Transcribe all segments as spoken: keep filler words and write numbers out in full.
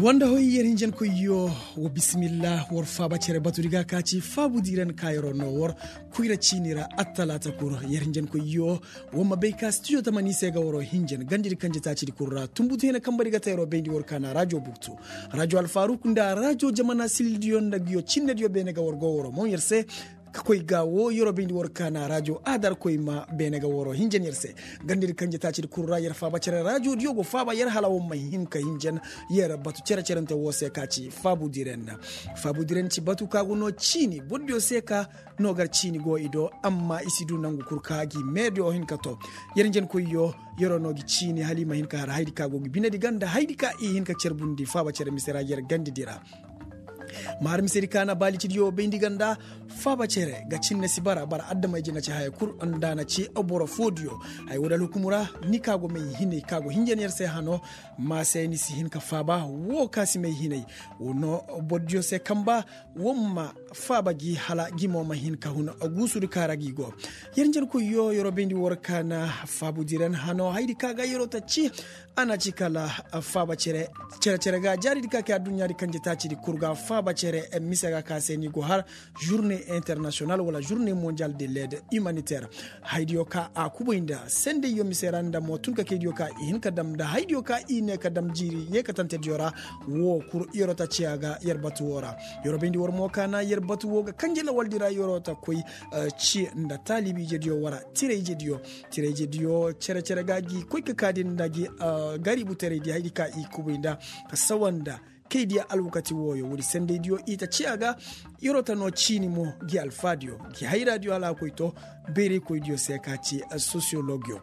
Wanda hoy yer hinjankoyyo, wa bisimillah war faaba cere batudi ga ka ci faabu diiran ka yer'o noo war koyra ciini ra attalaata kul. Yer hinjankoyyo, war ma bay ka stijo tamani se ga war'o hinjan gandidi kanje taacidi kul ra tunbutu hina kambadi ga ta yer'o bayndi war kaana rajo buktu, rajo alfaruk nda rajo jamana silildiyo nda nguyo cinnediyo beene ga war go war'o moŋ yer se. Ka koy ga wo yer'o bayndi war kaana rajo adarkoy ma beene ga war'o hinjan yer se. Gandidi kanje taacidi kul ra yer faaba cere rajodiyo go faaba yer hala war ma hin ka hinjan yer batu cere-cerente wo se ka ci faabu diiran. Faabu diiran ci batu ka go noo ciini borodiyo se ka noo gar ciini go i do. Amma i si du nangu kul ka gi meediyo hin ka to. Yer njenkoyyo, yer'o noo gi ciini hala i ma hin ka har hayadi ka go gi binedi ga nda hayadi ka i hin ka carbundi faaba cere mise ra yer gandidi ra. Ma har misedi ka na baalicidiyo bayndi ga nda faaba cere ga cinne si bara bara adama-ije na ci haya kul nda na ci boro foodiyo. Haya woodi alhukumu ra, ni ka go may hinay ka go hinjan yer se hano. Ma se ni si hin ka faaba wo ka si may hinay. Wo noo borodiyo se kamba. Wo ma faaba gi hala gi mo ma hin ka hun guusudi ka ra gi go. Yer njenkoyyo yer'o bayndi war kaana faabu diiran hano hayadi ka ga yer'o ta ci. A na ci kala faaba cere cere-cere ga jaaridi ka kay adduɲɲaadi kanje taacidi kul ga faaba cere mise ga ka se ni go har journée internationale wala journée mondiale de l'aide humanitaire. Hayadiyo ka a kubay nda sendayyo mise ra nda mo tun ka kaydiyo ka i hin ka dam nda hayadiyo ka i ne ka dam jiiri yeekatantediyo ra. Wo kul yer'o ta ciya ga yer batu wo ra. Yer'o bayndi war mo kaana yer batu wo ga kanje lawaldi ra yer'o ta koy ci nda taalibi-ijediyo wala tirayjediyo. Tirayjediyo cere-cere ga gi koy ka kaadi nda gi gariibutaraydi hayadi ka i kubay nda ka sawa nda kaydiya alwakati wooyo woodi sendaydiyo i ta ciya ga. Yer'o ta noo ciini mo gi alfaadiyo gi hayraadiyo hala a koy to bayraykoydiyo se ka ci sosiyologyo.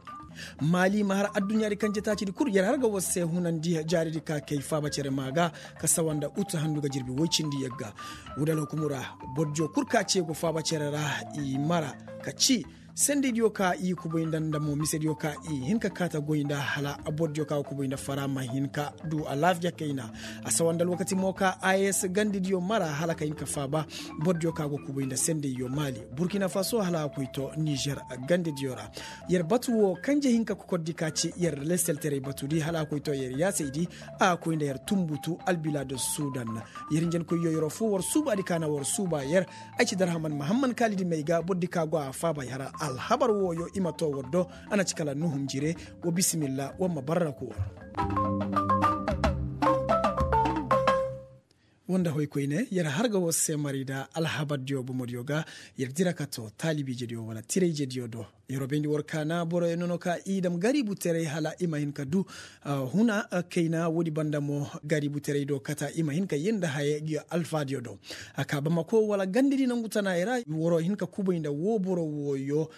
Maali ma har adduɲɲaadi kanje taacidi kul yer har ga war se hunandi jaaridi ka kay faaba cere maa ga ka sawa nda utu handu ga jirbi woy cindi yagga. Woodi alhukumu ra borodiyo kul ka ci go faaba cere ra i mara ka ci sendaydiyo ka i kubay nda nda mo misediyo ka i hin ka kaata goy nda hala borodiyo ka go kubay nda fara ma hin ka du alaafiya kayna. A sawa nda alwakati mo ka a s gandidiyo mara hala ka hin ka faaba borodiyo ka go kubay nda sendayyo maali burkina faso hala a koy to nizer gandidiyo ra. Yer batu wo kanje hin ka kokordi ka ci yer leseltaray batudi hala a koy to yer yaasaydi a koy nda yer tunbutu albilaado sudan. Yer njenkoyyo yer'o foo war suubaadi ka na war suuba yer. Ay ci darhaman mahamman kaalidi may ga borodi ka go a faabay hara alhabar wooyo i ma too war do. A na ci kala nuhum jire. Wa bisimilla war ma barraku war. Woo nda hoykoyne yer har ga war se maray nda alhabardiyo bomodiyo ga. Yer dira ka too taalibiijediyo wala tirayjediyo do. Yer'o bayndi war kaana boroyo nono ka i dam gariibutaray hala i ma hin ka du huna kayna woodi banda mo gariibutaray do kata i ma hin ka yee nda haya ngiyo alfaadiyo do. A ka bamako wala gandadi nangu tanaayey ra war'o hin ka kubay nda woo boro wooyo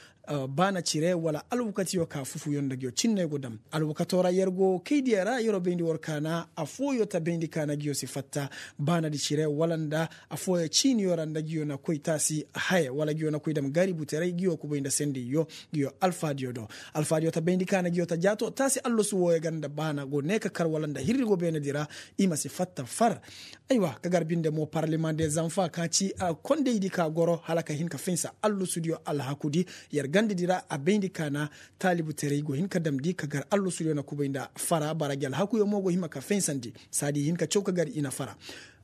baana cire wala alwakatiyo ka fufuyo nda ngiyo cinney go dam alwakato ra yer go kaydiyo ra yer'o bayndi war kaana affooyo ta bayndi kaana ngiyo si fatta baanadi cire wala nda affooyo ciiniyo ra nda ngiyo na koy taasi haya wala ngiyo na koy dam gariibutaray ngiyo kubay nda sendayyo ngiyo alfaadiyo do. Alfaadiyo ta bayndi kaana ngiyo ta jaato taasi allasu wooyo ga nda baana go ne ka kar wala nda hirri go beenadi ra i ma si fatta far. Aywa ka gar binde mo parlement des enfants ka ci kondaydi ka goro hala ka hin ka finsa allusudiyo alhakudi yer gandadi ra a bayndi kaana. Taalibutaray go hin ka damndi ka gar allusudiyo na kubay nda fara bara gi alhakuyo mo go hima ka finsandi saadi hin ka caw ka gar i na fara.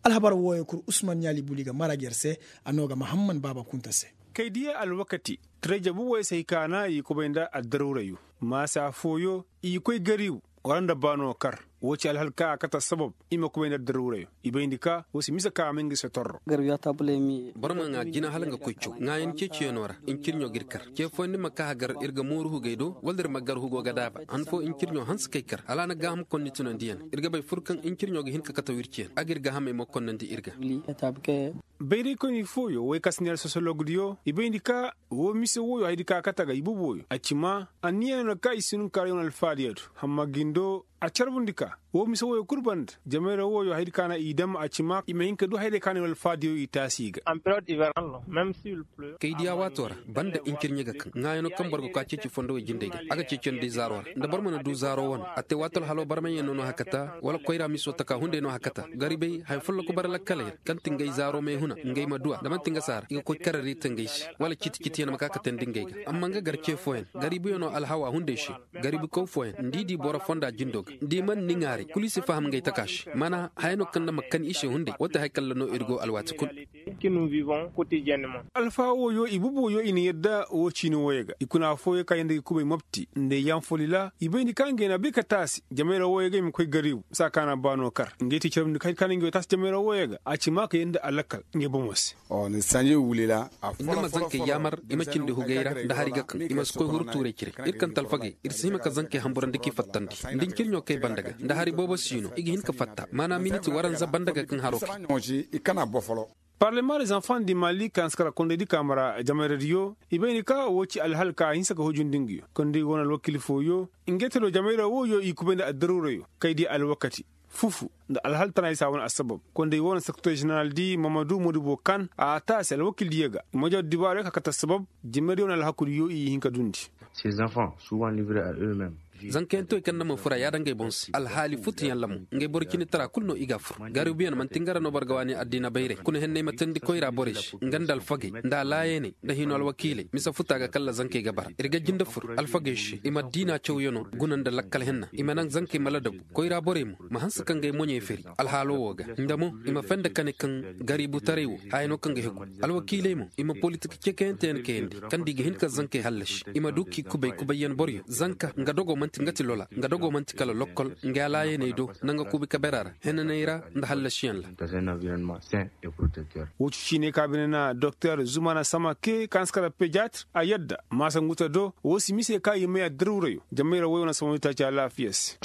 Alhabar wooyo kul usman ɲaali buli ga mara gi yer se. A noo ga mahamman baaba kunta se. Kay diya alwakati taray jabu woy se hay kaana i kubay nda addarawrayo maasa fooyo i koy gariibu wala nda baano kar. Woo ci alhal ka a kate assabab i ma kubay nda addarawrayo i bayndi ka woo si mise ka a may nga se torro. Boro ma ŋaa jina hala nga koy caw ŋaayan ceeciyanoo ra. Incirɲo g'ir kar ce fooyaŋ ni ma kaa hagar ir ga mooru hugey do wala ir ma gar hugo ga daaba han foo incirɲo hanse kay kar hala a na gaaham konni tunandiyan ir ga bay fur kaŋ incirɲo ga hin ka kate wirciyan a g'ir gaahamey ma konnandi ir ga. Bayraykoyni fooyo woy ka si neera sosologdiyo i bayndi ka woo mise wooyo haydi ka kate ga ibubu wooyo a ci maa anniya no na ka i si nun ka ra yoŋ alfaadiya do hamma gindo a carbundi ka woo mise wooyo kul banda jamayra wooyo haydi ka na i dam a ci maa i ma hin ka du hayrey ka na yoŋ alfaadiyo i taasi i ga. Kay diya waato ra banda incirɲe ga kaŋ ŋaayano kaŋ boro ga koy a ceeci fondo wey jindey ga a ga ceeciyandi zaaro ra nda boro mana du zaaro wane a te waato alhalo barmayaŋ no no hakata wala koyra miso taka hunday no hakata garibey haya folloku bara lakkaley ra kaŋ ti ngey zaaro meehuna ngey ma duw'a nda manti nga saara i ga koy karari te ngey se wala citi citiyaŋ ma ka katandi ngey ga amma nga gar ce fooyaŋ garibuyaŋo alhawa hunday se garibikaw fooyaŋ nda i di boro fonda jindo ga nda i mana ni ŋaaray Kulu i si faham ngey taka se mana haya no kaŋ na ma kan i se hunday woo ti haya kaŋ ra no ir go alwaati kul. Alfa wooyo i bubuwayo i na yadda woo ciini wooyo ga i kuna affooyo ka yee nda ga kubay mopti nda yaaŋ folila i bay ni ka ngey na bay ka taasi jamayra wooyo ga i ma koy gariibu bisa ka na baano kar ngey ti carabndi ka hay ka na ngey taasi jamayra wooyo ga a ci maa ka yee nda alakkal ngey bomo se. Nga ma zankey yaamar i ma cindi hugey ra nda hari ga kaŋ i ma si koy huru tuuray cire. Ir kaŋ talfagey ir si hima ka zankey hamburandi k'i fattandi nda ncirɲo kay banda ga nda hari boobo si no i ga hin ka fatta maana miniti waranza banda ga kaŋ haro kay. Parlement des enfants di mali kaŋ si kara kondaydi kaŋ a mara jamayradiyo i bay ni ka woo ci alhal ka a hinsa ka hujundi nga yo konday wane alwakiil fooyo. Nga te do jamayra wooyo i kubay nda addaruurayo kay di alwakati fufu nda alhal tana i si a wane assabab konday wane sekreter ženeral di mamadu modibo kan a taasi alwakiil diyo ga i ma jaw dibaarayo ka kate assabab. Jamayra wane alhakudiyo i hin ka duundi. Zankayantewey kaŋ na ma fura yaada ngey boŋ se alhaali futuyaŋ ra mo. Ngey boro cindi tara kul no i g'a fur garibuyaŋ man'ti nga ra no boro ga waani addiina bayray kuna henney ma teendi koyra borey se nga nda alfagey nda alaayaney nda hino alwakiiley mise futa ga kalla zankey ga bara ir ga jinde fur alfagey se i ma diina cawyanoo guna nda lakkal henna i ma naŋ zankey ma ladabu koyra borey mo ma hanse ka ngey moɲey fari. Alhaalo woo ga nda mo i ma fende kane kaŋ gariibutaray woo haya no kaŋ ga heku alwakiiley mo i ma politik cekayanteyaŋ kayandi kaŋ nda i ga hin ka zankey hallasi i ma du k'i kubay kubayyaŋ boroyaŋ zanka nga dogo man'ti nga ti lola nga dogo man'ti kala lokkol nga alaayaney do nda nga kuubi kaberaa ra henaney ra nda hallasiyaŋ ra. Woo ci ciiney ka bine na doktor zumana samake kaŋ si kara pejatir a yadda maasa nguta do woo si mise ka i may addaruurayo jamayra woy wane samandu taaci alaafiya se.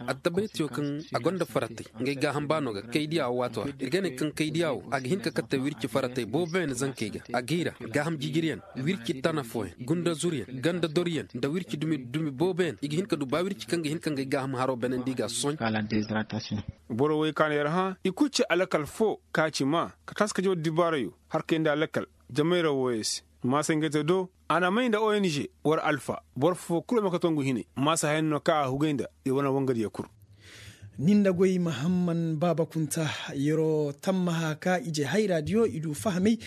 Attabayatiyo kaŋ a gonda faratay ngey gaaham baano ga kaydiya woo waato ra ir ga ne kaŋ kaydiya woo a ga hin ka kate wirci faratay booboyaŋ zankey ga a g'i ra gaaham jijiryaŋ wirci tana fooyaŋ gundazuryaŋ gandadoryaŋ nda wirci dumi dumi booboyaŋ i ga hin ka du ba wirci kaŋ ga hin ka ngey gaaham haroo benandi i ga a sohõ. Boro woy ka na yar hã i kul ci alakal foo ka ci maa ka taasi ka jaw dibaarayo harkey nda alakal jamayra wooyo se. Maasa ngey te do a na may nda ong war alfa boro foo kul ma ka tongu hinay maasa hayan no ka a hugay nda i wane wangadiyo kul. Ni nda goy mahamman baaba kunta yeroo tammaha ka ije hayraadiyo i du fahamay.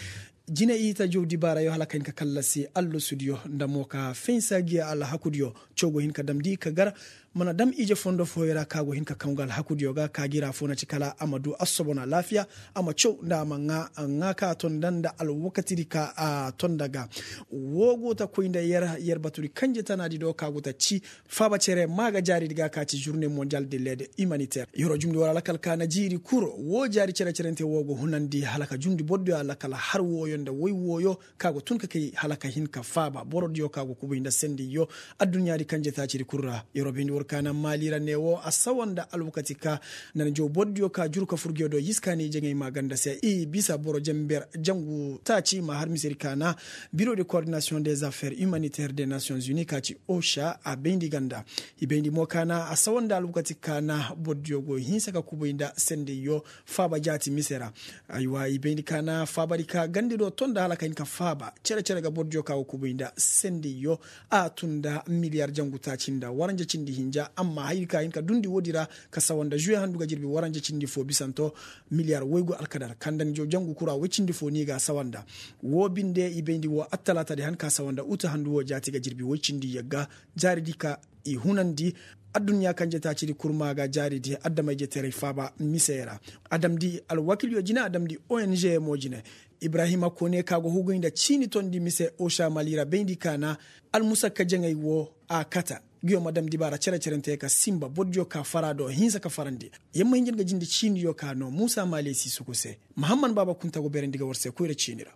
Jinay i ta jaw dibaarayo hala ka hin ka kallasi allasudiyo nda mo ka fensa gi alhakudiyo caw go hin ka damndi ka gar mana dam ije fondo fooyo ra ka go hin ka kaŋ ga alhakudiyo ga ka gi ra foo na ci kala a ma du assobon alaafiya a ma caw nda a ma ŋaa ka a tonda nda alwakatidi ka a tonda ga. Woo go ta koy nda yer yer batudi kanje tanaadi do ka go ta ci faaba cere maa ga jaaridi ga ka ci žurne mondial de led humanitaire yeroo jumndi war alakal ka na jiiri kul. Woo jaari cere-cerente woo go hunandi hala ka jumndi borodiyo alakal har wooyo nda woy wooyo ka go tun ka kay hala ka hin ka faaba borodiyo ka go kubuy nda sendiyyo. Adduɲɲaadi kanje taacidi kul ra yeroo bayndi war ka na maali ra ne woo a sawa nda alwakati ka nana jaw borodiyo ka juru ka fur ngiyo do yiskaani jaŋay maaganda se i bisa boro jangu taaci ma har misedi ka na biro de koordinasiyoŋ des afeer humanitaire des nations unies ka ci osa a bayndi ganda. I bayndi mo ka na a sawa nda alwakati ka na borodiyo go hinsa ka kubuy nda sendiyyo faaba jaati mise ra. Aywa i bayndi ka na faabadi ka gandi do to nda hala ka hin ka faaba cere-cere ga borodiyo ka go kubuy nda sendiyyo. A tun nda miliyar jangu taaci nda waranja cindi hinja amma hayadi ka hin ka dundi woodi ra ka sawa nda žuwe handu ga jirbi waranja cindi foo bisanto miliyar woygu alkadar kandani jaw jangu kul ra woy cindi foo no i ga a sawa nda. Woo binde i bayndi woo attalaatadi han ka sawa nda uta handu woo jaati ga jirbi woy cindi yagga jaaridi ka i hunandi. Adduɲɲa kanje taacidi kul maa ga jaaridi adama-ijetaray faaba misey ra. A damndi alwakiilyo jine a damndi ong mo jine. Ibrahima kone ka go huguy nda ciini tondi mise osa mali ra bayndi ka na almusakka jaŋay woo a kata. Ngiyo ma dam dibaara cere-cerente ka sinba borodiyo ka fara do hinsa ka farandi. Yer ma hin jin ga jinde ciiniyo ka no muusa mali si suku se. Mahamman baaba kunta go beerandi ga war se koyra ciini ra.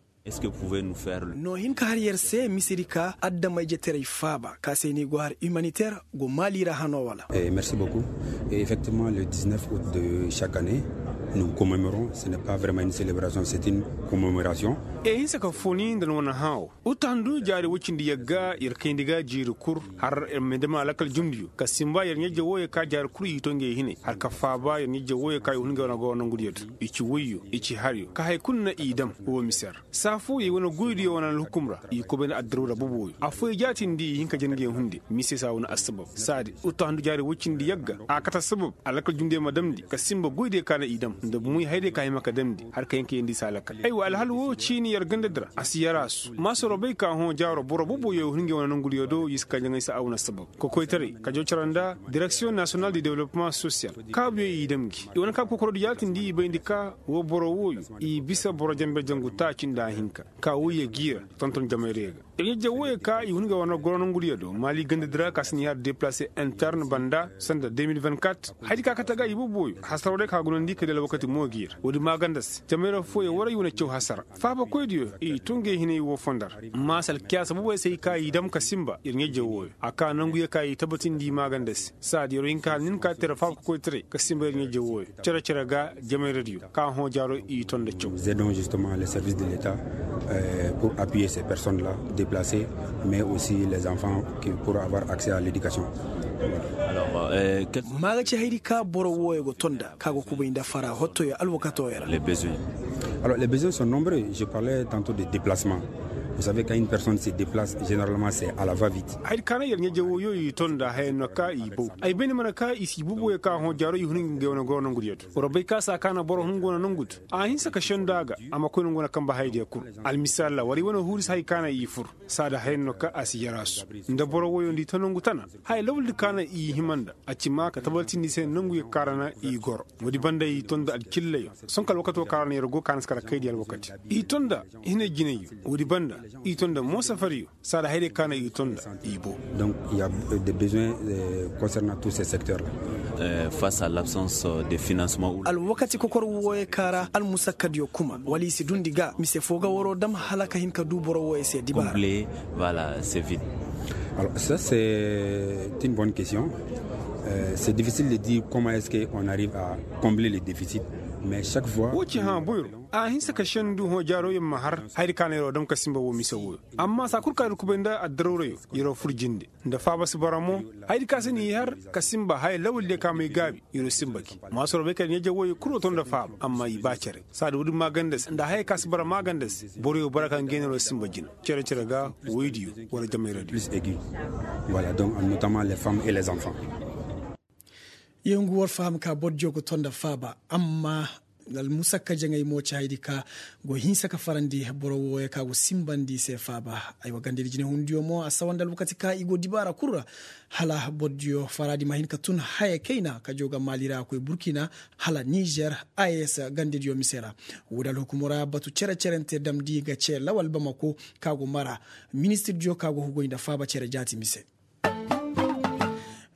No hin ka har yer se misedi ka adama-ijetaray faaba ka se ni go har humanitaire go mali ra hano wala? Merci beaucoup. Effectivement le dix-neuf août de chaque année nous commémorons ce n'est pas vraiment une célébration c'est une commémoration. E hinsa ka funi nda ni wane hã woo uta handu jaari woy cindi yagga yer kayndi ga jiiri kul har yer ma dam alakal jumdiyo ka sinba yer ɲajje wooyo ka jaari kul i to ngey hinay har ka faaba yer ɲajje wooyo ka i hun ngey wane go nongudiyo do i ci woyyo i ci haryo ka haya kul na i dam woo mise ra. Saa foo yay wane goydiyo wane alhukum ra i kubay nda addaruura booboyo afooyaŋ jaatindi i hin ka jana ngey hunde mise saa wane assabab saadi uta handu jaari woy cindi yagga a kate assabab alakal jumdiyo ma damndi ka sinba goydiyo ka na i dam. nda bumey hayday ka hima ka damndi har ka hin ka yeendi i si a lakkal. Aywa alhal wo ciini yer ganda di ra a si yer a su maasoro bay ka hõ jaaro boro booboyo hun ngey wane nongudiyo do i si ka jaŋay si a wane sabab. Kokoytaray ka jaw cara nda direksiyoŋ nasiyonal de developpeman sosiyal kaabuyo i dam gi i wane kaabu kokorodi yaatindi i bayndi ka woo boro wooyo i bisa boro janbe jangu taaci nda a hinka ka woy ya gii ra tonton jamayra ya ga. Yer ɲa-ijey wooyo ka i hun ga war na goro nongudiyo do maali ganda di ra ka si n'i har deplaase interne banda sanda de mil vingt-quatre. Hayadi ka kate ga i booboyo hasaroo day ka gunandi ka di alwakati mo g'i ra woodi maaganda se jamayra fooyo waray wane caw hasara faabakoydiyo i tun ga i hinay woo fondo ra. Maasa alkiyaasa booboyo se hay ka i dam ka sinba yer ɲa-ijey wooyo a ka nanguyo ka i tabatindi maaganda se saadi yer wo hin ka hala nin ka tira faaba ka koy tiray ka sinba yer ɲa-ijey wooyo cere-cere ga jamayradiyo ka hõ jaaro i ton nda caw. Nous aidons justement les services de l'état pour appuyer ces personnes là déplacées, mais aussi les enfants pour avoir accès à l'éducation. Maa ga ci hayadi ka boro wooyo ga ton nda ka go kubay nda fara hottoyo alwakatooyo ra. Alors les besoins sont nombreux. Je parlais tantôt de déplacement. Vous savez quand une personne se déplace généralement c'est à la va vite. Hayadi ka na yer ɲa-ijey wooyo i ton nda haya no ka i bow ay bay ni mana ka i si boboyo ka hõ jaaro i hun ngey wane goro nongudiyo do war bay ka saa ka na boro hun go na nongudi a hinsa ka sendu a ga. A ma koy no go na kamba hayadiyo kul. Almisaal ra war i wane huuri si hay ka na i fur saada haya no ka a si yer a su nda boro wooyo nda i ta nongu tana haya lawaldi ka na i hima nda a ci maa ka tabatindi i se nonguyo ka ra na i goro. Woodi banda i ton nda alkillayo sonka alwakatoo ka ra na yer go ka na si kara kaydiyo alwakati i ton nda hinay jinayyo woodi banda i ton nda moosafariyo saada hayadiyo ka na i ton nda i boo. Donc il ya des besoins concernant tous ces secteurs là. Face à l'absence de financement. Alwakati kokor wooyo ka ra almusakkadiyo kuma wala i si dundi ga mise foo ga waroo dam hala ka hin ka duu boro wooyo se dibaara. Voilà c'est vide. Alors ça c'est une bonne question. C'est difficile de dire comment est-ce que on arrive à combler le déficit. Mais chaque fois woo ci hã boyro a hinsa ka sendu hõ jaaroo yer ma har hayadi ka na yeroo dam ka sinba woo mise wooyo. Amma saa kul ka yer kubay nda addarawrayo yeroo fur jinde nda faaba si bara mo. Hayadi ka se n'i har ka sinba haya lawaldiyo ka may gaabi yeroo sinba gi. Maasoro bay ka yer ɲa-ije wooyo kul wo ton nda faaba amma i ba cere saada woodi maaganda se nda haya ka si bara maaganda se boroyo bara ka ngey neroo sinba jina cere-cere ga woydiyo wala jamayradiyo. Plus aigu. Voilà donc notamment les femmes et les enfants. Yee ngu war faham ka bordiyo ga ton nda faaba amma almusakka jaŋay mo ci hayadi ka go hinsa ka farandi boro wooyo ka go sinbandi i se faaba. Aywa gandedi jinehundiyo mo a sawa nda alwakati ka i go dibaara kul ra hala bordiyo faraadi ma hin ka tun haya kayna ka jaw ga maali ra a koy burkina hala nizer. Ayes gandediyo mise ra woodi alhukumo ra batu cere-cerente damndi ga ce lawal bamako ka go mara ministirdiyo ka go hugoy nda faaba cere jaati mise.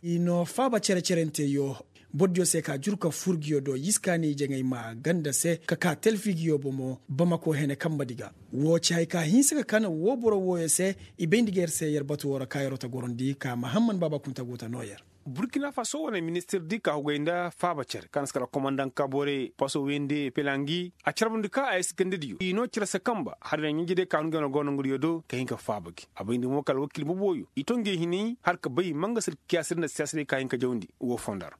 I no faaba cere-cerenteyo bordiyo se ka jur ka fur nguyo do yiskaaniijaŋey ma ganda se ka ka telfi nguyo bomo bamako hene kambadi ga. Woo ci hay ka hinsa ka kan woo boro wooyo se i bayndi ga yer se yer batu woo ra ka yeroo ta gorandi ka mahamman baaba kunta go ta noo yer. Burkina faso wane ministir di ka hugay nda faaba cere kaŋ si kala komandaŋ kabore paso wende pelangi a carbundi ka a yesi gandediyo i no cere se kamba har na ɲinji de ka hun ga no gono nguriyo do ka hin ka faaba gi a bayndi mo kala wakil boboyo i to ngey hinay har ka bay manga sir kiyasir nda siyasa de ka hin ka jawndi wo fondar.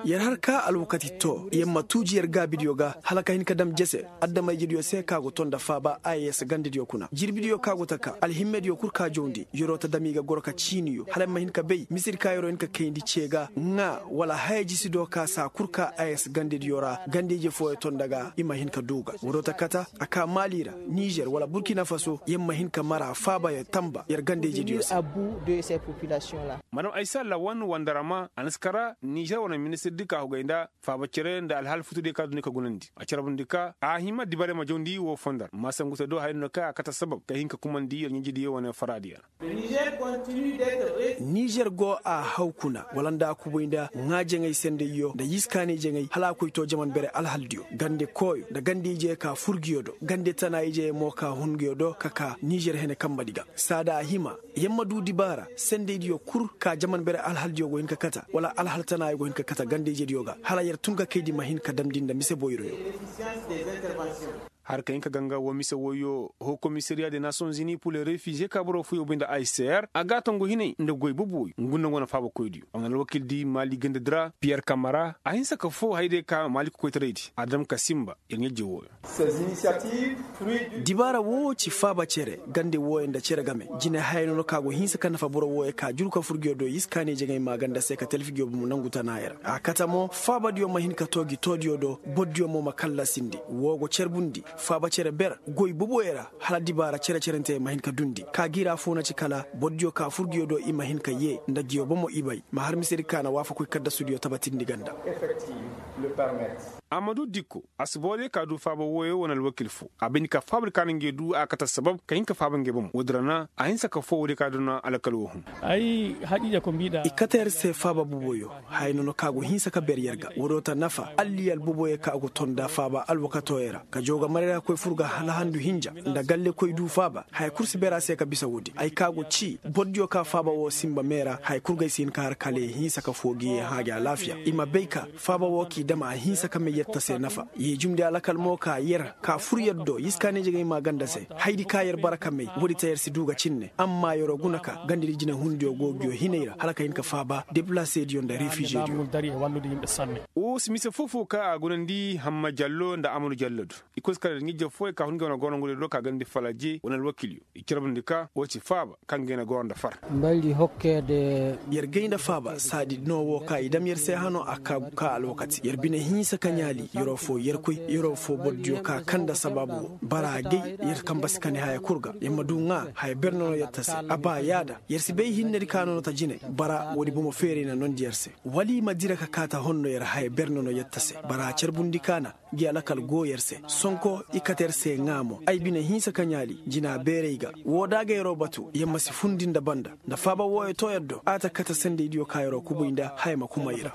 Yer har ka alwakati to yer ma tuuji yer gaabidiyo ga hala ka hin ka dam jese adama-ijediyo se ka go to nda faaba a yesi gandediyo kuna jirbidiyo ka go ta ka alhimmediyo kul ka jawndi yeroo ta dam i ga goro ka ciiniyo hala ay ma hin ka bay misir ka yeroo hin ka kayndi ce ga ŋaa wala haya jisi do ka saa kul ka a yesi gandediyo ra gande-ije fooyo to nda ga i ma hin ka duu ga woodoo ta kata a kaa maali ra nizer wala burkina faso yer ma hin ka mara faaba yer tamba yer gande-ijediyo se. Madam aysa lawan wandarama a na si kara nizer wane ministir di ka hugay nda faaba cere nda alhaal futudiyo ka dundi ka gunandi a carbundi ka a hima dibarey ma jawndi woo fondar maasangute do haya no kaŋ a kate sabab ka hin ka kumandi yer ɲinjidiyo wane faraadiyo ra. Nizer go a haw kuna wala nda a kubay nda ŋaajaŋey sendayyo nda yiskaaniijaŋey hala a koy too jaman bere alhaldiyo gande kooyo nda gande-ije ka fur nguyo do gande tana-ije mo ka hun nguyo do ka kaa nizer hene kambadi ga saada a hima yer ma duu dibaara sendaydiyo kul ka jaman bere alhaldiyo go hin ka kata wala alhal tanaayo go hin ka kata gande-ijediyo ga hala yer tun ka kayndi ma hin ka damndi nda mise boyroyo. Har ka hin ka ganga woo mise wooyo hoo komisariya de nason zini pur le refize ka boro fuyo bay nda a s r a ga a tangu hinay nda goy bobo wooyo ngu nda ngu wane faabakoydiyo a wane alwakil di maali ganda di ra piyer kamara a hinsa ka foo hayday ka maali kokoytaray di a dam ka sinba yer ɲajje wooyo. Dibaara woo ci faaba cere gande wooyo nda cere game. Jinay hayey no no ka go hinsa ka nafa boro wooyo ka juru ka fur nguyo do i si kaanay jaŋay maa ganda se ka talfi nguyo bomo nangu tana yer a kate mo faabadiyo ma hin ka too ngi toodiyo do. Bordiyo mo ma kallasindi woo go carbundi faaba cere ber goy boboyo ra. Hala dibaara cere-cerenteyey ma hin ka dundi ka giira foo na ci kala bordiyo ka fur nguyo do i ma hin ka yee nda nguyo bomo i bay ma har misedi ka na waafakoy kaddasudiyo tabatindi ganda. Amadu dikko a si boro diyo ka du faaba wooyo wane alwakil foo a bay ni ka faabadi ka na ngey du a kate assabab ka hin ka faaba ngey bomo woodi ra na a hinsa ka foo woodi ka du na alkal woo hun. I kate yer se faaba boboyo. Haya no no ka go hinsa ka ber yer ga woodiyo ta nafa alliyal boboyo ka go ton nda faaba alwakatooyo ra ka jooga maray ra ka koy fur ga hala handu hinja nda gallekoy du faaba haya kul si ber a se ka bisa woodi ay ka go cii bordiyo ka faaba woo sinba mee ra haya kul ga ay si hin ka har kala i hinsa ka foo ngi ye hã gi alaafiya i ma bay ka faaba woo k'i dam a hinsa ka may yer ta se nafa. Ye jumndi alakal mo ka yer ka fur yer do yiskaanay jegay maa ganda se haydi ka yer bara ka may woodi ta yer si du ga cinne amma yeroo guna ka gandadi jinehundiyo go nguyo hinay ra hala ka hin ka faaba deplaseediyo nda refiizediyo. Woo si mise foo-foo ka a gunandi hamma jallo nda amadu jallo do. Ikkoy si kala da ɲijja fooyey ka hun ngey wane gorongudiyo do ka gandi falaje wane alwakilyo i carbundi ka woo ci faaba kaŋ ga i na goro nda far. Yer gay nda faaba saadi no woo ka i dam yer se hano a kaagu ka alwakati yer bine hinsa ka ɲaali yeroo foo yerkoy yeroo foo bordiyo ka kaŋ nda sabaabu woo bara gay yer kamba si kani haya kul ga yer ma du ŋaa haya ber no no yer ta se a ba yaada yer si bay hinnedi ka no no ta jine. Bara woodi bomo feeray na nondi yer se wala i ma dira ka kaa ta honno yer haya ber no no yer ta se bara carbundi ka na ngi alakal go yer se sonko i kate yer se ŋaa mo ay bine hinsa ka ɲaali jinaa beeray ga woo da a ga yeroo batu yer ma si fundi nda banda nda faaba wooyo too yer do a ta kate sendaydiyo ka yeroo kubay nda haya ma kuma i ra.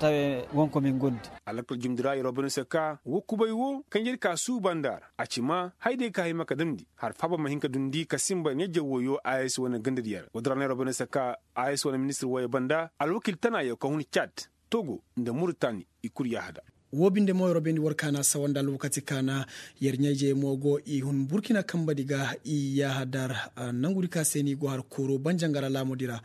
Alakal jumndi ra yeroo bane se ka woo kubay woo kaŋ yer ka suuba nda a ra a ci maa hayday ka hima ka damndi har faaba ma hin ka dundi ka sinba ɲajje wooyo a s wane gandadiyo ra woo din ra na yeroo bane se ka a s wane ministir wooyo banda alwakil tanaayo ka hun caad togo nda muritaani i kul yaahada. Woo binde mo yeroo bayndi war kaana sawa nda alwakati kaana yer ɲayjey mo go i hun burkina kambadi ga i yaahadar nangudi ka se no i go har kooro banjangara laamudi ra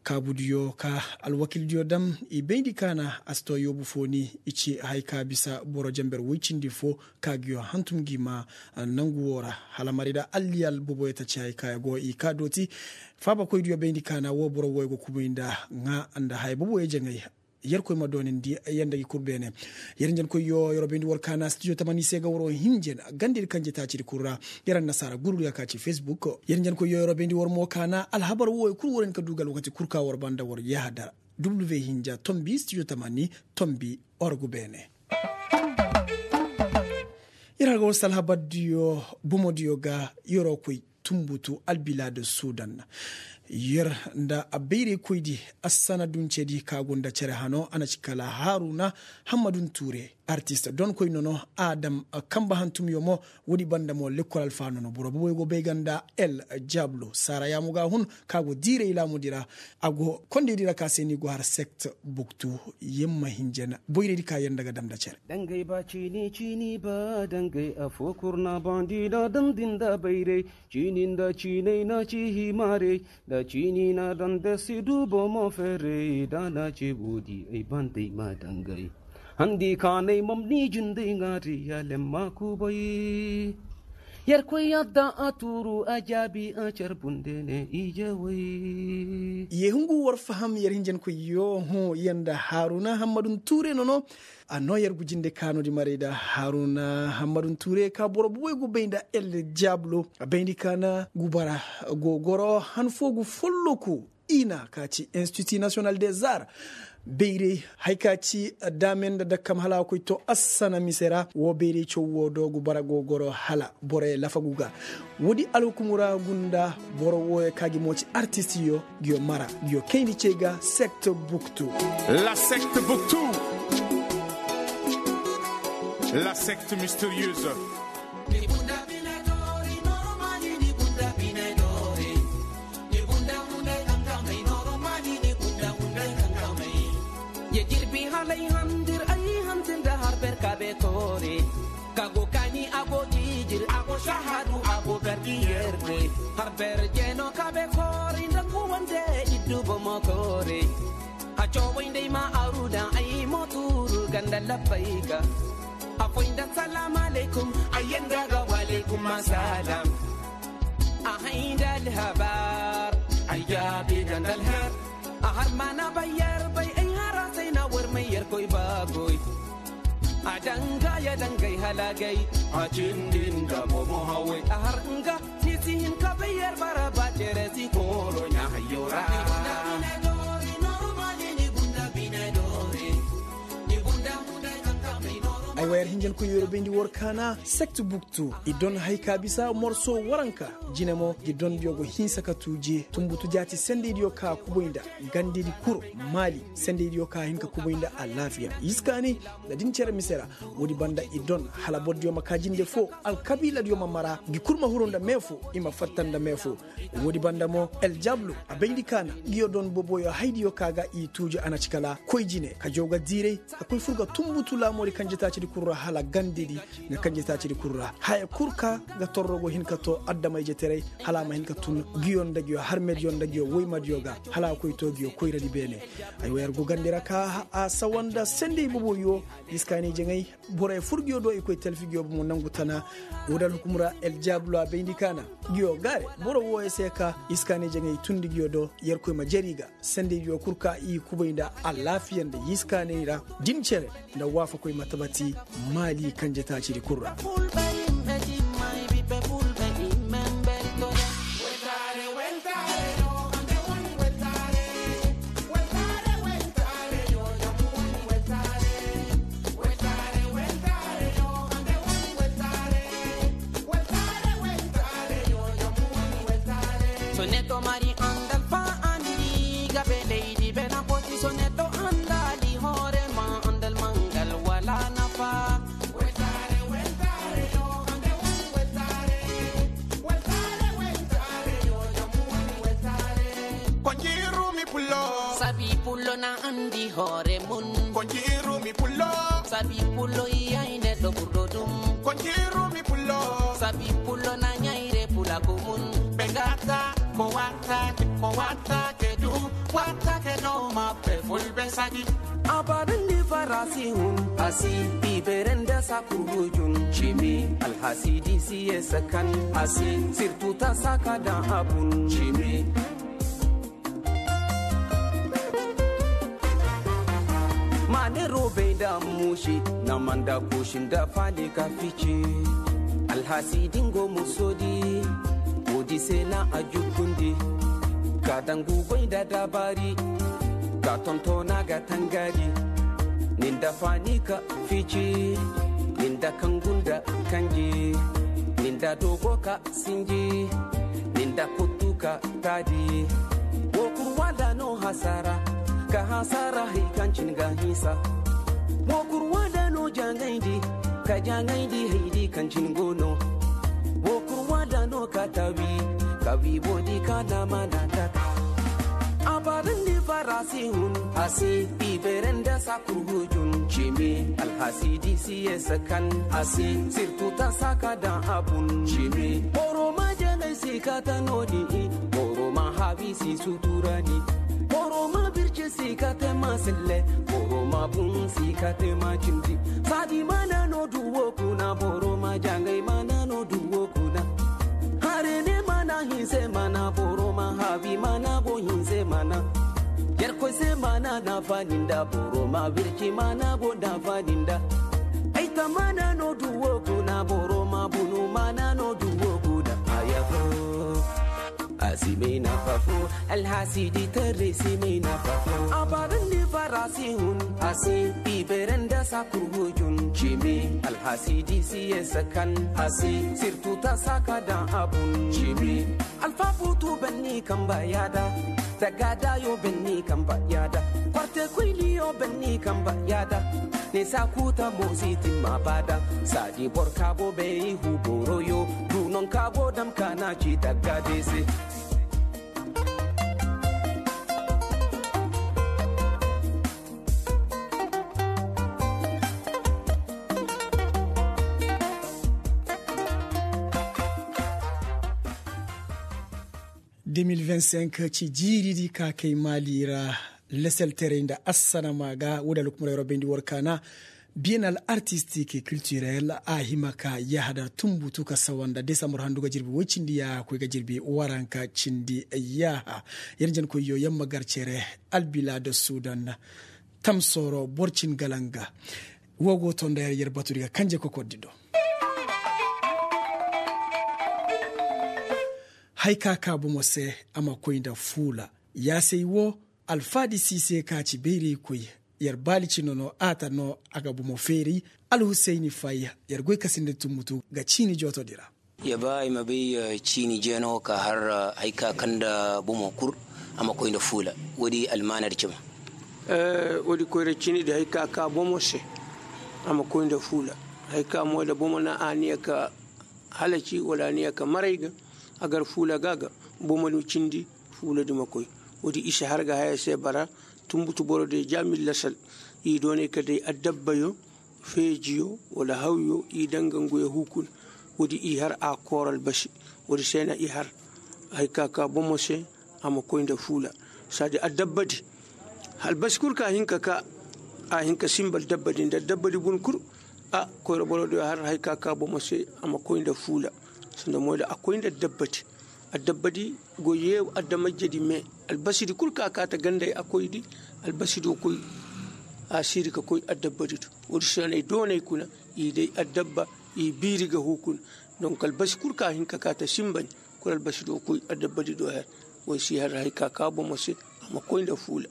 kaabudiyo ka alwakildiyo dam i bayndi kaana a si too yoobu foo ni i ci haya ka bisa boro jenber woy cindi foo ka nguyo hantum ngi ma nangu woo ra hala marayda alliyal boboyo ta ci haya ka go i ka dooti faabakoydiyo bayndi kaana woo boro wooyo go kubay nda ŋaa nda haya boboyo jaŋay. Yerkoy ma doonandi yer nda ngi kul beene. Yer njenkoyyo yeroo bayndi war kaana stijo tamani se ga waroo hinjen gandedi kanje taacidi kul ra yer annasaara gurur ya ka ci fesbuk yer njenkoyyo yeroo bayndi war mo kaana alhabar wooyo kul war hin ka du ga alwakati kul ka war ba nda war yaahadar. W hinja tombi stijo tamani tombi orgu beene. Yer har ga war si alhabardiyo bomodiyo ga yeroo koy tumbutu albilaada sudan. Yer nda bayraykoydi assana duncedi ka go nda cere hano a na ci kala haruna hammadun ture artist donkoy nono adam kamba hantumyo mo. Woodi banda mo lekkol alfaano no boro boboy go bay ga nda el jablo saara yaamu ga hun ka go diiray laamudi ra. A go kondaydi ra ka se no i go har sekt buktu. Yer ma hinjana boyraydi ka yer nda ga dam nda cere. Dangay ba ciini ciini ba dangay afo kurna bandi na dandi nda bayray. Ciini nda ciinay na ci himaarey da ciini na dande si du bomo ferey da na ci woodi ay bandi ay ma dangay. Handi kaanay mam ni jinday ŋaari yaalem ma kubay. Yerkoy yadda a tuuru a jaabi a carbunde ne ije way. Ye hungu war faham yer hinjankoy yo hõ yer nda haruna hammadun tuure nono. A no yer gu jinde kaanudi marayda haruna hammadun tuure ka boro buwey gu bay nda el jablo a bayndi kaana gu bara gogoro han fo gu folloku. Ina ka ci institut national des arts. Bayray hay ka ci damen nda dakkam hala a koy to assana mise ra wo bayray caw wo do gu bara gogoro hala boroyo lafagu ga. Woodi alhukumu ra gunda boro wooyo ka gi mo ci artistiyo. Giyo mara giyo kayndi cey ga sekt buktu. La sekt buktu. La sekt misterieuse. Ye jirbi halay handir ay handir da har berka be tore. Kago kani ago jijir ago. Berjeno kabe koori nda kuwante iddu bomo koori. A coobay nda ay ma aru daŋ ay mo tuuru ganda labbayka. A foy nda salaamu alaykum ay yanda ga wa alaykum assalam. A hay nda alhabar ay jaabi ganda alher. A har mana bay yer bay ay hara say na war may yer koy ba koy. A dangay a dangay hala gay. A cindi nda bomo haway a har nga. Ni si hin ka bay yer bara ba cere si kooro ɲa hayo ra. Ay wa yer hinjan koy yer bayndi war kaana sektu buktu i don hay ka bisa morso waranka. Jine mo gi dondiyo go hinsa ka tuuje tumbutu jaati sendeydiyo ka kubay nda gandedi kuro maali sendeydiyo ka hin ka kubay nda alaafiya iskaani. Nda din cere mise ra woodi banda i don hala bordiyo ma ka jinde foo alkabiiladiyo ma mara gi kul ma huru nda mee foo i ma fatta nda mee foo. Woodi banda mo el jablo a bayndi kaana ngiyo don boboyo haydiyo ka ga i tuuju a na ci kala koy jine ka jaw ga diiray ka koy fur ga tumbutu laamoodi kanjetaacidi kul ra hala gandedi. Nga kanjetaacidi kul ra haya kul ka ga torro go hin ka too adama-ijetaray hala a ma hin ka tun ngiyo nda ngiyo harmediyo nda ngiyo woymadiyo ga hala a koy too ngiyo koyradi beene. Ay wa yer go gandi ra ka a sawa nda sendey boboyo. Iskaani jaŋay borey fur ngiyo do i koy talfi ngiyo bomo nangu tana. Woodi alhukum ra el jablo a bayndi kaana ngiyo gaare boro wooyo se ka iskaani jaŋay tundi ngiyo do yerkoy ma jari ga sendey ngiyo kul ka i kubay nda alaafiya nda iskaani ra. Din cere nda waafakoy ma tabati maali kanjetaacidi kul ra. Soneto mari andal fa andi gabe leydi bena poti soneto andali hoore ma andal mangal wala nafa. Konjiru mi pullo. Sabi pullo na andi hoore mun. Konjiru mi pullo. Sabi pullo iyayne do burdo dum. Konjiru mi pullo. Sabi pullo na ɲayre pula ko mun. Be gata ko wata ko wata ke du wata ke no ma be fulbe sadi. A badandi farasi hun a si i berende sakurujun cimi alhasidi si ye sakan a si sirtu ta saka dan abun cimi. Ma ne robey nda muusi na manda kuusi nda faali ka fici. Alhasi dingo musodi woodi se na a jukkundi. Ka dangu goy nda dabaari ka tontona ga tangari. Ni nda faani ka fici ni nda kangu nda kanji ni nda dogo ka sinji ni nda kuttu ka taadi. Wo kurwa nda no hasara ka hasara hay kaŋ cin ga hinsa. Wo kurwa nda no jangayndi ka jangayndi haydi kaŋ cin go no. Wo kurwa nda no ka tawi ka wi boodi ka na mana taka. A baadandi farasi hun a si i beeranda sa kurhujun cimi alhasidi si ye sakan a si sirtu ta saka daŋ a bun cimi. Boro ma jangay si ka ta noodin i boro ma haawi si suturani. Boro ma birci si ka te ma selle boro ma bun si ka te ma cindi. Saadi mana no du wo kuna boro ma jangay mana no du wo kuna. Hare ne mana hinse mana boro ma haawi mana go hinse mana. Yerkoy se mana na faninda boro ma wirci mana go na faninda. Ay ta mana no du wo kuna boro ma bunu mana no du wo kuna. Ayafo. A si may nafa fo. Alhasidi tarre si may nafa fo. A baadandi farasi hun a si i beeranda sa kurhujun cimi alhasidi si ye sakan a si sirtu ta saka daŋ a bun cimi. Alfa futu banni kamba yaada. Tagaadayo banni kamba yaada. Kwarte kuyliyo banni kamba yaada. Ne sa kuuta mo si timma baada. Saadi boro ka go bay hu boroyo du non ka go dam ka na ci tagaade se. De mil vingt cinq ci jiiridi ka kay maali ra. Leselterey nda assanama ga wo- din alhukumara yeroo bayndi war kaana. Biyenal artistik kiltirel a hima ka yaaha dar tunbutu ka sawa nda desambur handu ga jirbi woy cindi yaaha koy ga jirbi waranka cindi. Yaaha yer njankoyyo yer ma gar cere albilaada sudan. Tamsoro boro cin galanga. Wo go to nda yer yer batudi ga kanje kokordi do. Hay ka ka bomo se a ma koy nda fuula. Yaasey wo alfaadi siise ka ci bayraykoy. Yer baali cino no a ta no a ga bomo feeray. Alhusayni fay yer goy kasi nda tunbutu ga ciini jootodi ra. Ya ba ay ma bay ciini jeeno ka har hay ka kaŋ nda bomo kul a ma koy nda fuula. Woodi almaana di cima. Woodi koyra ciini di hay ka ka bomo se a ma koy nda fuula. Hay ka mo da bomo na a niya ka halaci wala a niya ka maray ga a gar fuula ga ga bomo ni cindi. Fuula di ma koy woodi i si har ga haya se bara. Tunbutu boro de jaamil lasal i doonay ka day addabbayo feejiyo wala hawyo i danga nguyo huukuna. Woodi i har a kooro albasi woodi se na i har hay ka ka bomo se a ma koy nda fuula. Saadi addabba di albasi kul ka hin ka ka a hin ka simba addabba di nda addabba di bun kul. A koyra boro do har hay ka ka bomo se a ma koy nda fuula. Sanda mo da a koy nda addabba di addabba di go yee adamajedi me albasi di kul ka ka ta gandey a koy di albasi do koy a siiri ka koy addabba di do. Woodi se na i doonay kuna i day addabba i biiri ga huukuna. Donk albasi kul ka hin ka ka ta simbani kul albasi do koy addabba di do her. Woy si har hay ka ka bomo se a ma koy nda fuula.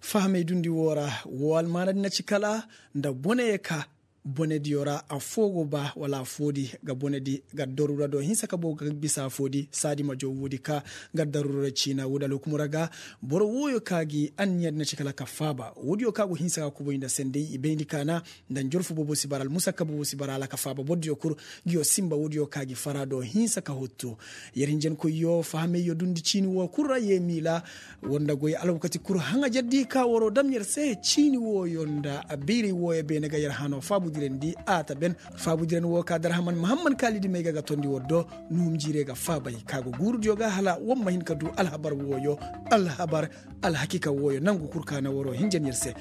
Fahamey dundi woo ra woo almaana di na ci kala nda bone ye ka bone diyo ra affoo go ba wala affoo di ga bone di ga daruura do hinsa ka boo ga bisa affoo di saadi ma joo woodi ka ga daruura ciina woodi alhukumu ra ga. Boro wooyo ka gi anniya di na ci kala ka faaba woodiyo ka go hinsa ka kubay nda sendey i bayndi kaana nda njorfu boobo si bara almusakka boobo si bara hala ka faaba boro diyo kul. Ngiyo simba woodiyo ka gi fara do hinsa ka huttu. Yer hinjankoyyo fahameyyo dundi ciini woo kul ra yee miila. War nda goy alwakati kul haŋajardi ka waroo dam yer se ciini wooyo nda bayray wooyo beene ga yer hanoo faabudirendi a ta ben. Faabudiren woo ka darhaman mahamman kaalidi may ga ga tondi war do. Nuhum jiirey ga faabay ka go guurudiyo ga hala war ma hin ka du alhabar wooyo. Alhabar alhakiika wooyo nangu kul ka na waroo hinjan yer se.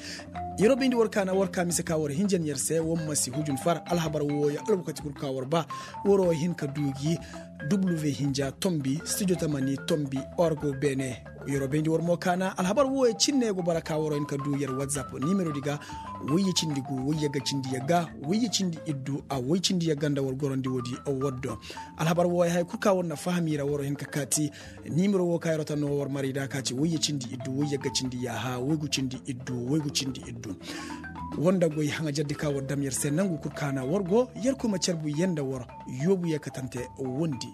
Yeroo bayndi war ka na war ka mise ka war hinjan yer se war ma si hujun far alhabar wooyo alwakati kul ka war ba. Waroo hin ka du gi ww hinja tombi studio tamani tombi orgo beene. Yeroo bayndi war mo ka na alhabar wooyo cinne go bara ka waroo hin ka du yer whatsapp nimero di ga. Woyye cindi gu woyye ga cindi yagga woyye cindi iddu a woy cindi yagga nda war gorondi woodi war do. Alhabar wooyo haya kul ka war na faham i ra waroo hin ka kaati. Nimero woo ka yeroo ta noo war maray da ka ci woyye cindi iddu woyye ga cindi yaaha woygu cindi iddu woygu cindi iddu. War nda goy haŋajardi ka war dam yer se nangu kul ka na war go yerkoy ma carbu yer nda war. Yoobu yaakatante wondi.